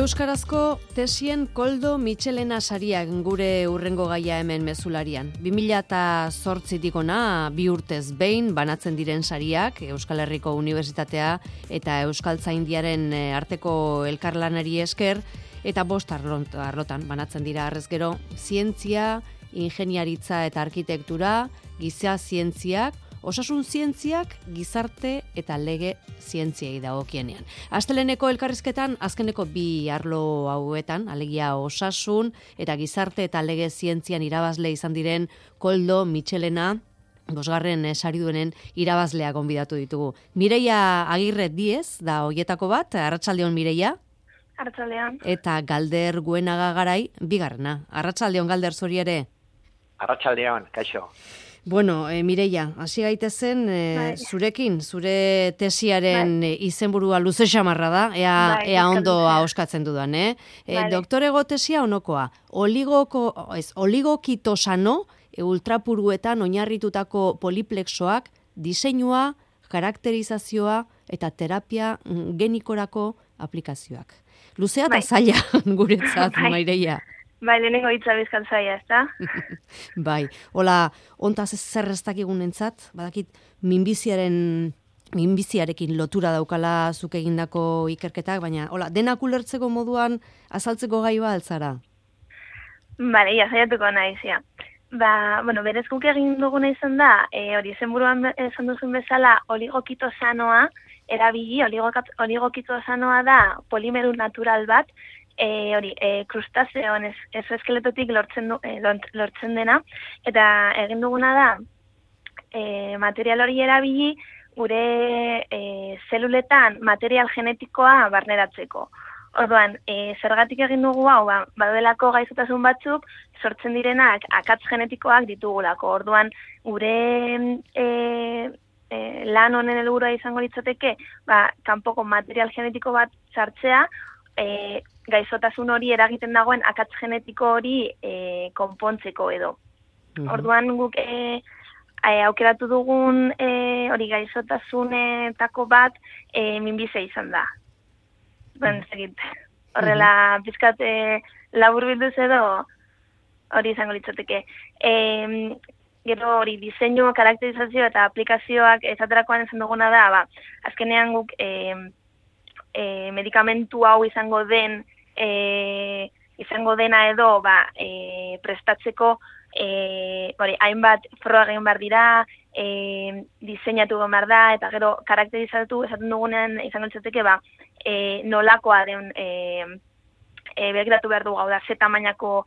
Euskarazko tesien Koldo Mitxelena sariak gure urrengo gaia hemen mezularian. 2008tik ona 2 urtez behin banatzen diren sariak, Euskal Herriko Unibertsitatea eta Euskaltzaindiaren arteko elkarlanari esker, eta 5 arlotan banatzen dira harrez gero, zientzia, ingeniaritza eta arkitektura, giza zientziak, osasun zientziak, gizarte eta lege zientziei dagokienean. Asteleneko elkarrizketan azkeneko 2 arlo hauetan, alegia osasun eta gizarte eta lege zientzian irabazle izan diren Koldo Mitxelena, 5. sariduenen irabazlea gonbidatu ditugu. Mireia Agirre Diez da hoietako bat, arratsaldeon Mireia. Arratsaldeon. Eta Galder Guenaga Garai 2. Arratsaldeon Galder zuri ere. Arratsaldeon, kaixo. Bueno, Mireia, hasi gaitezen zurekin, zure tesiaren izenburua luze xamarra da, ea ondo ahoskatzen dudan, Doktorego tesia onokoa, oligokitosano ultrapuruetan oinarritutako poliplexoak, diseinua, karakterizazioa eta terapia genikorako aplikazioak. Luzea eta zaila guretzat, Mireia. Bai, lehenengo hitza bizkat zaila, ezta? Bai, hola, ontaz zer ez dakigunentzat, badakit minbiziarekin lotura daukala zuk egindako ikerketak, baina hola, denak ulertzeko moduan azaltzeko gai ba altzara? Bale, saiatuko naiz, ja. Berez guk egin duguna izan da, hori izenburuan esan duzun bezala, oligokitosanoa erabili, oligokitosanoa da polimeru natural bat, krustazeoen eskeletotik lortzen dena, eta egin duguna da, material hori erabili gure zeluletan material genetikoa barneratzeko. Orduan, zergatik egin dugu hau, badelako gaixotasun batzuk sortzen direnak akats genetikoak ditugulako. Orduan, gure lan honen helburua izango litzateke, kanpoko material genetiko bat sartzea, gaixotasun hori eragiten dagoen akats genetiko hori konpontzeko edo. Orduan guk aukeratu dugun hori gaixotasunetako bat minbizia izan da. Horrela pizkat labur bilduz edo hori izango litzateke. Gero hori diseinu, karakterizazio eta aplikazioak esaterakoan esan duguna da, azkenean guk medikamentu hau izango dena edo prestatzeko hainbat froga egin behar dira, diseinatu behar da, eta gero karakterizatu esaten dugunean izango litzateke nolakoa den begiratu behar dugu, hau da, ze tamainako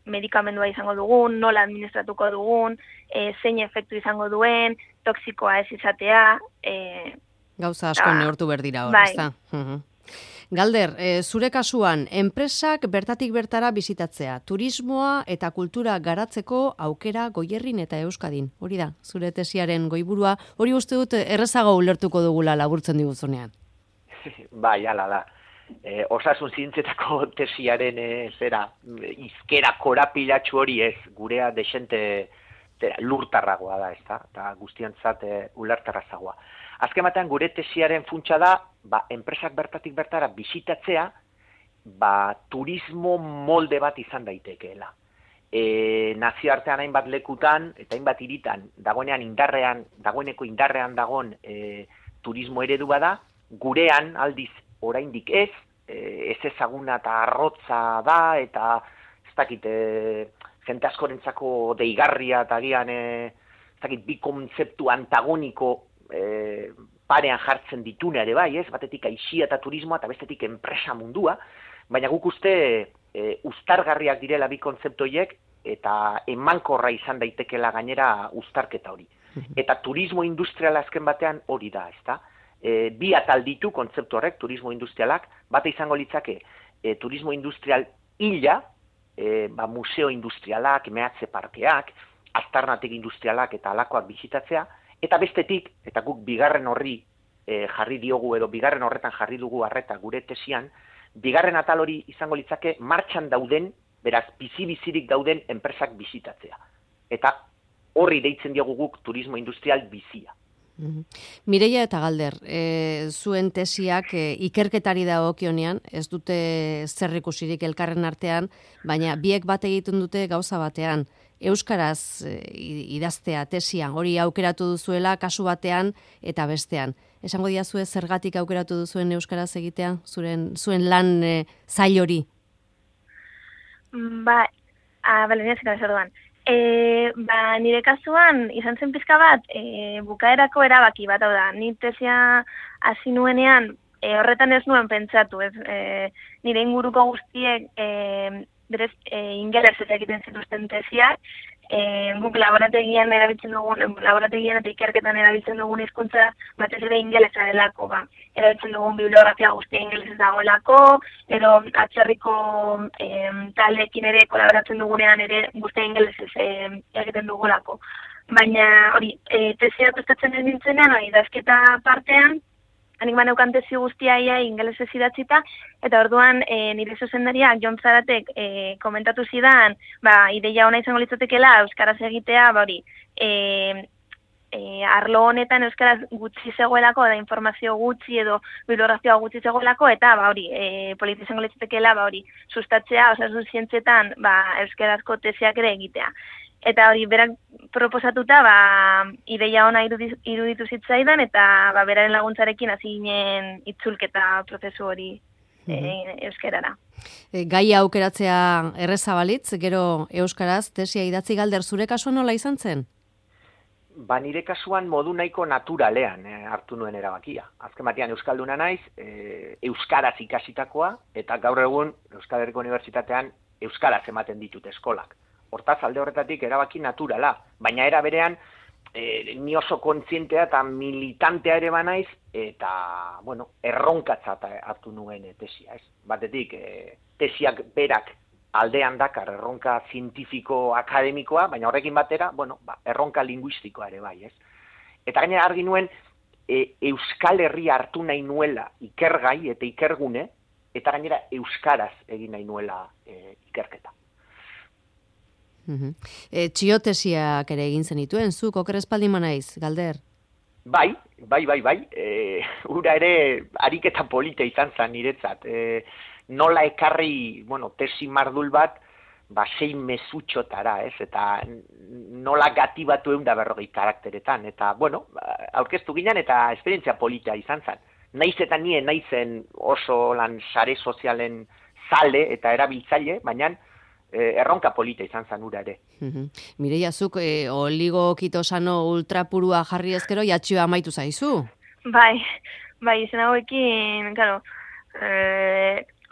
medikamendua izango dugun, nola administratuko dugun, zein efektu izango duen, toksikoa ez izatea, gauza asko neurtu berdira hor, ezta? Galder, zure kasuan, enpresak bertatik bertara bizitatzea, turismoa eta kultura garatzeko aukera Goierrin eta Euskadin. Hori da, zure tesiaren goiburua, hori uste dut errezago ulertuko dugula laburtzen diguzunean. Bai, hala da. Osasun zientzietako tesiaren izkera korapilatxu hori ez, gurea desente lurtarragoa da, ezta? Eta guztiantzat ulertarrazagoa. Azken batean gure tesiaren funtsa da, enpresak bertatik bertara bisitatzea, turismo molde bat izan daitekeela. Nazioartean hainbat lekutan eta hainbat hiritan dagoeneko indarrean dagoen turismo eredu bada, gurean aldiz oraindik ez ezaguna eta arrotza da, eta ez dakit, jente askorentzako deigarria eta agian bi kontzeptu antagoniko parean jartzen dituna ere bai, ez? Batetik aisia eta turismoa eta bestetik enpresa mundua, baina guk uste uztargarriak direla bi kontzeptoiek eta emankorra izan daitekela gainera uztarketa hori. Eta turismo industriala azken batean hori da, ezta? Bi atal ditu kontzeptu horrek, turismo industrialak, bate izango litzake turismo industrial hila, museo industrialak, mehatze parkeak, aztarnatek industrialak eta alakoak bisitatzea, eta bestetik, eta guk bigarren horri jarri diogu edo bigarren horretan jarri dugu arreta gure tesian, bigarren atal hori izango litzake martxan dauden, beraz bizi-bizirik dauden enpresak bisitatzea. Eta horri deitzen diogu guk turismo industrial bizia. Mireia eta Galder, zuen tesiak ikerketari dagokionean, ez dute zerrikusirik elkarren artean, baina biek bat egiten dute gauza batean. Euskaraz idaztea tesia, hori aukeratu duzuela kasu batean eta bestean. Esango diazue zergatik aukeratu duzuen euskaraz egitea, zuen lan zail hori? Bale, nire kasuan izan zen pizka bat bukaerako erabaki bat, hau da, ni tesia hasi nuenean horretan ez nuen pentsatu, nire inguruko guztiek berez ingelesez egiten zituzten tesiak, guk laborategian eta ikerketan erabiltzen dugun hizkuntza batez ere ingelesa delako, erabiltzen dugun bibliografia guztia ingelesez dagoelako, edo atzerriko taldeekin ere kolaboratzen dugunean ere guztia ingelesez egiten dugulako. Baina hori, tesia prestatzen ez nintzenean, idazketa partean, hanik baneukan tesi guztia ingelesez idatzita, eta orduan nire zuzendariak Jon Zaratek komentatu zidan, ideia ona izango litzatekeela euskaraz egitea, arlo honetan euskaraz gutxi zegoelako, da informazio gutxi edo bibliografia gutxi zegoelako, eta polita izango litzatekeela sustatzea, osasun zientzietan euskarazko tesiak ere egitea. Eta hori, berak proposatuta, ideia ona iruditu zitzaidan, eta beraren laguntzarekin hasi ginen itzulketa prozesu hori euskarara. Gaia aukeratzea erreza balitz, gero euskaraz tesia idatzi. Galder, zure kasuan nola izan zen? Nire kasuan modu nahiko naturalean hartu nuen erabakia. Azken batean euskalduna naiz, euskaraz ikasitakoa, eta gaur egun Euskal Herriko Unibertsitatean euskaraz ematen ditut eskolak. Hortaz, alde horretatik erabaki naturala, baina era berean ni oso kontzientea eta militantea ere banaiz, eta, erronkatzat hartu nuen tesia, ez? Batetik, tesiak berak aldean dakar erronka zientifiko akademikoa, baina horrekin batera, erronka linguistikoa ere bai, ez? Eta gainera argi nuen, Euskal Herria hartu nahi nuela ikergai eta ikergune, eta gainera euskaraz egin nahi nuela ikerketa. Txiotesiak ere egin zenituen, zuk okerrezpaldin manaiz, Galder? Bai. Ura ere ariketa polita izan zen niretzat. Nola ekarri, tesi mardul bat, 6 mezutxotara, ez? Eta nola gatibatu 140 karakteretan. Eta, aurkeztu ginen eta esperientzia polita izan zen. Naiz eta nien naizen oso lan sare sozialen zale eta erabiltzaile, baina erronka polita izan zen ura ere. Mireia, zuk oligokitosano ultrapurua jarri ezkero jatxioa amaitu zaizu? Bai, izen hauekin,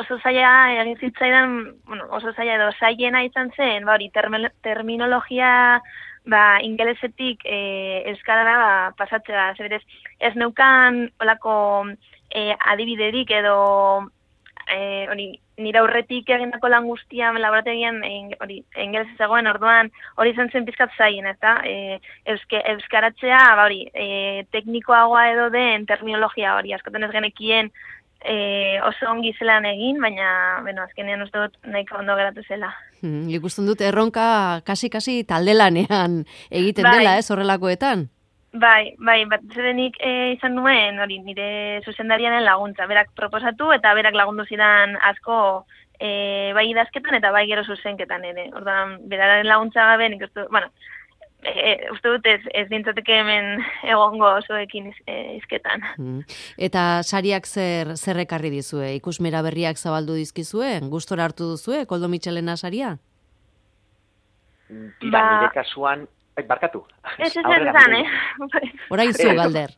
oso zaila egin zitzaidan, oso zaila edo zailena izan zen, terminologia ingelesetik euskarara pasatzea, zerberez, ez neukan olako adibiderik edo nire aurretik egindako lan guztian laborategian ingelesez zegoen, orduan hori izan zen pizkat zaien, eta euskaratzea teknikoagoa edo den terminologia hori, askotan ez genekien oso ongi zelan egin, baina azkenean uste dut nahiko ondo geratu zela. Ikusten dut erronka kasi taldelanean egiten dela, ez horrelakoetan? Bai, bat zedenik izan nuen, nire zuzendarianen laguntza, berak proposatu eta berak lagundu zidan asko bai idazketan eta bai gero zuzenketan ere. Orduan, beraren laguntza gabe, nik uste dut ez dintzateke hemen egongo osoekin izketan. Eta sariak zer ekarri dizue? Ikusmera berriak zabaldu dizkizue? Gustora hartu duzue, Koldo Mitxelena saria? Nire kasuan, barkatu. Ez, Orain zu, Galder.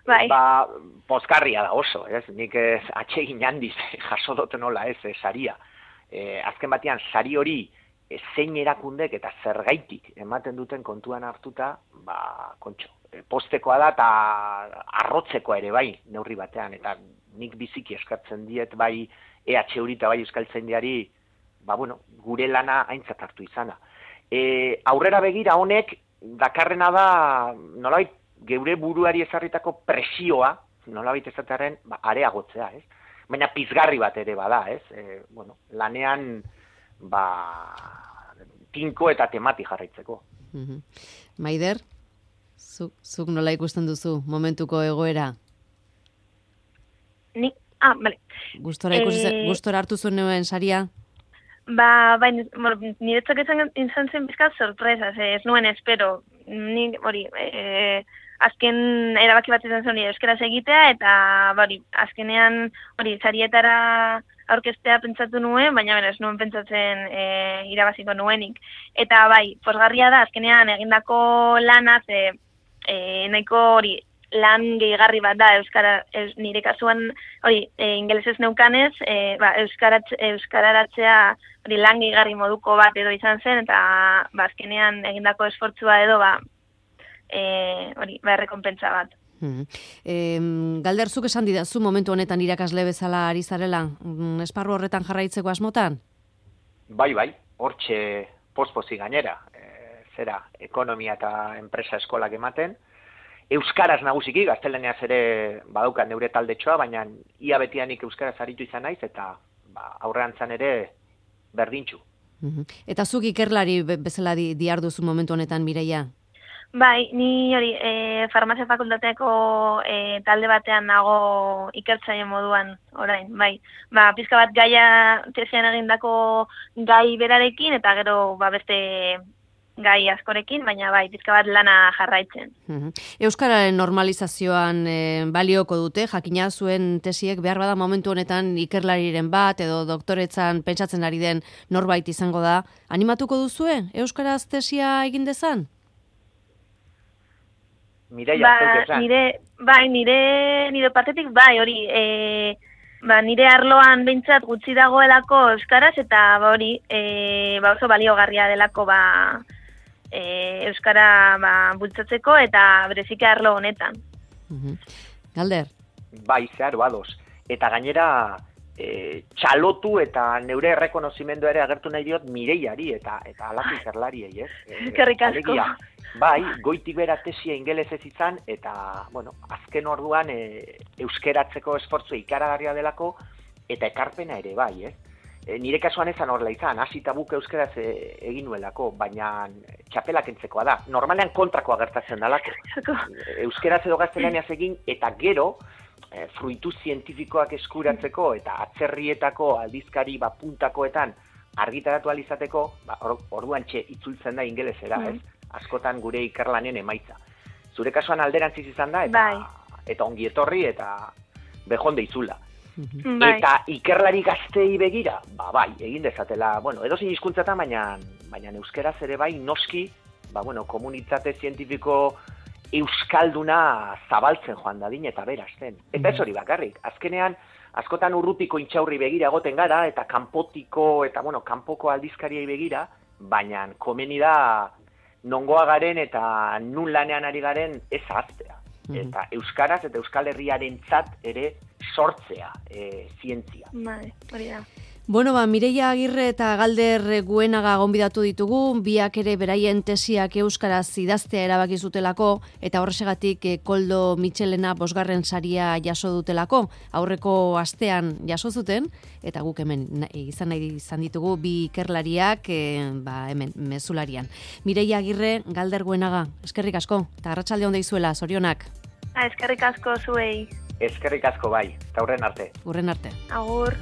Bai. Pozkarria da oso, ez? Nik atsegin handiz jaso dut nola ez saria. Azken batean, sari hori zein erakundek eta zergaitik ematen duten kontuan hartuta, postekoa da eta arrotzekoa ere bai, neurri batean, eta nik biziki eskartzen diet bai EHU eta bai Euskaltzaindiari, gure lana aintzat hartu izana. Aurrera begira honek dakarrena da nolabait geure buruari ezarritako presioa, nolabait ezatearen areagotzea, ez? Baina pizgarri bat ere bada, ez? Lanean tinko eta temati jarraitzeko. Maider, Zuk nola ikusten duzu momentuko egoera? Bale. Gustora hartu zuen neuen saria? Bai, niretzak izan zen bizkat sorpresa, ez nuen espero. Ni hori, azken erabaki bat izan zen euskaraz egitea, eta azkenean hori sarietara aurkeztea pentsatu nuen, baina ez nuen pentsatzen irabaziko nuenik. Eta bai, pozgarria da, azkenean egindako lanaz, nahiko hori, lan gehigarri bat da nire kasuan hori ingelesez neukanez, euskararatzea hori lan gehigarri moduko bat edo izan zen, eta azkenean egindako esfortzua edo hori errekonpentsa bat. Galder, zuk esan didazu momentu honetan irakasle bezala ari zarela, esparru horretan jarraitzeko asmotan? Bai, hortxe pospozi gainera, ekonomia eta enpresa eskolak ematen, euskaraz nagusiki, gaztelaniaz ere badaukat neure taldetxoa, baina ia betianik euskaraz aritu izan naiz, eta aurrean zan ere berdintxu. Eta zuk ikerlari bezala diarduzu momentu honetan, Mireia? Bai, ni hori farmazia fakultateko talde batean nago ikertzaile moduan orain, bai. Pizka bat gaia tesian egindako gai berarekin, eta gero beste gai askorekin, baina bai, pizka bat lana jarraitzen. Euskararen normalizazioan balioko dute, jakina zuen tesiek behar bada momentu honetan ikerlariren bat, edo doktoretzan pentsatzen ari den norbait izango da. Animatuko duzue, euskaraz tesia egin dezan? Mireia, nire partetik bai, hori, nire arloan behintzat gutxi dagoelako euskaraz, eta hori, oso baliogarria delako euskara bultzatzeko, eta bereziki arlo honetan. Galder? Bai, zeharo ados. Eta gainera, txalotu eta neure errekonozimendu ere agertu nahi diot Mireiari eta alako ikerlariei, ez? Eskerrik asko. Bai, goitik bera tesia ingelesez izan, eta, azken orduan euskeratzeko esfortzu ikaragarria delako, eta ekarpena ere bai, ez? Nire kasuan ezan horrela izan, hasi eta buk euskaraz egin nuelako, baina txapelak entzekoa da. Normalean kontrakoa gertatzen dalako. Euskaraz edo gaztelaniaz egin, eta gero, fruitu zientifikoak eskuratzeko, eta atzerrietako aldizkari puntakoetan argitaratu alizateko, orduan itzultzen da ingelesera, ez? Askotan gure ikerlanen emaitza. Zure kasuan alderantziz izan da, eta ongi etorri, eta bejonde izula. Eta ikerlari gaztei begira, bai, egin dezatela, edozin hizkuntzatan, baina euskeraz ere bai, noski, komunitate zientifiko euskalduna zabaltzen joan dadin eta berazten. Eta ez hori bakarrik, azkenean, askotan urrutiko intxaurri begira egoten gara, eta kanpotiko, eta kanpoko aldizkariei begira, baina komeni da nongoa garen eta nun lanean ari garen ez ahaztea. Eta euskaraz eta Euskal Herriarentzat ere sortzea zientzia. Bai, hori da. Mireia Agirre eta Galder Guenaga gonbidatu ditugu, biak ere beraien tesiak euskaraz idaztea erabaki zutelako, eta horrexegatik Koldo Mitxelena 5. saria jaso dutelako, aurreko astean jaso zuten, eta guk hemen izan ditugu bi ikerlariak hemen mezularian. Mireia Agirre, Galder Guenaga, eskerrik asko, eta arratsalde on deizuela, zorionak. Eskerrik asko zuei. Eskerrik asko bai, eta hurren arte. Hurren arte. Agur.